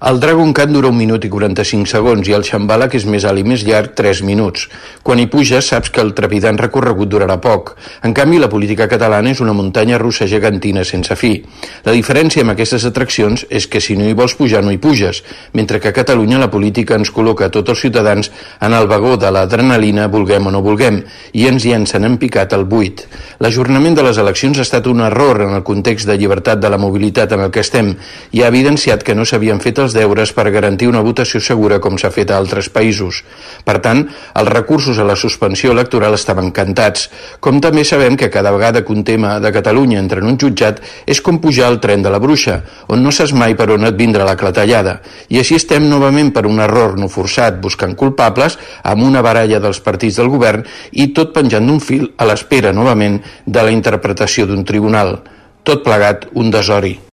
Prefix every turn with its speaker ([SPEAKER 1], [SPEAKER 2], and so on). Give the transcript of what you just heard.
[SPEAKER 1] El Dragon Khan dura 1 minut i 45 segons i el Shambhala, que és més alt i més llarg, 3 minuts. Quan hi puges saps que el trepidant recorregut durarà poc. En canvi, la política catalana és una muntanya russa gegantina sense fi. La diferència amb aquestes atraccions és que si no hi vols pujar no hi puges, mentre que a Catalunya la política ens col·loca a tots els ciutadans en el vagó de l'adrenalina, vulguem o no vulguem, i ens llencen en picat al buit. L'ajornament de les eleccions ha estat un error en el context de llibertat de la mobilitat en el que estem i ha evidenciat que no s'havien fet els deures per garantir una votació segura com s'ha fet a altres països. Per tant, els recursos a la suspensió electoral estaven cantats. Com també sabem que cada vegada que un tema de Catalunya entra en un jutjat és com pujar al tren de la bruixa, on no saps mai per on et vindrà la clatellada. I així estem novament per un error no forçat buscant culpables amb una baralla dels partits del govern i tot penjant d'un fil a l'espera novament de la interpretació d'un tribunal. Tot plegat un desori.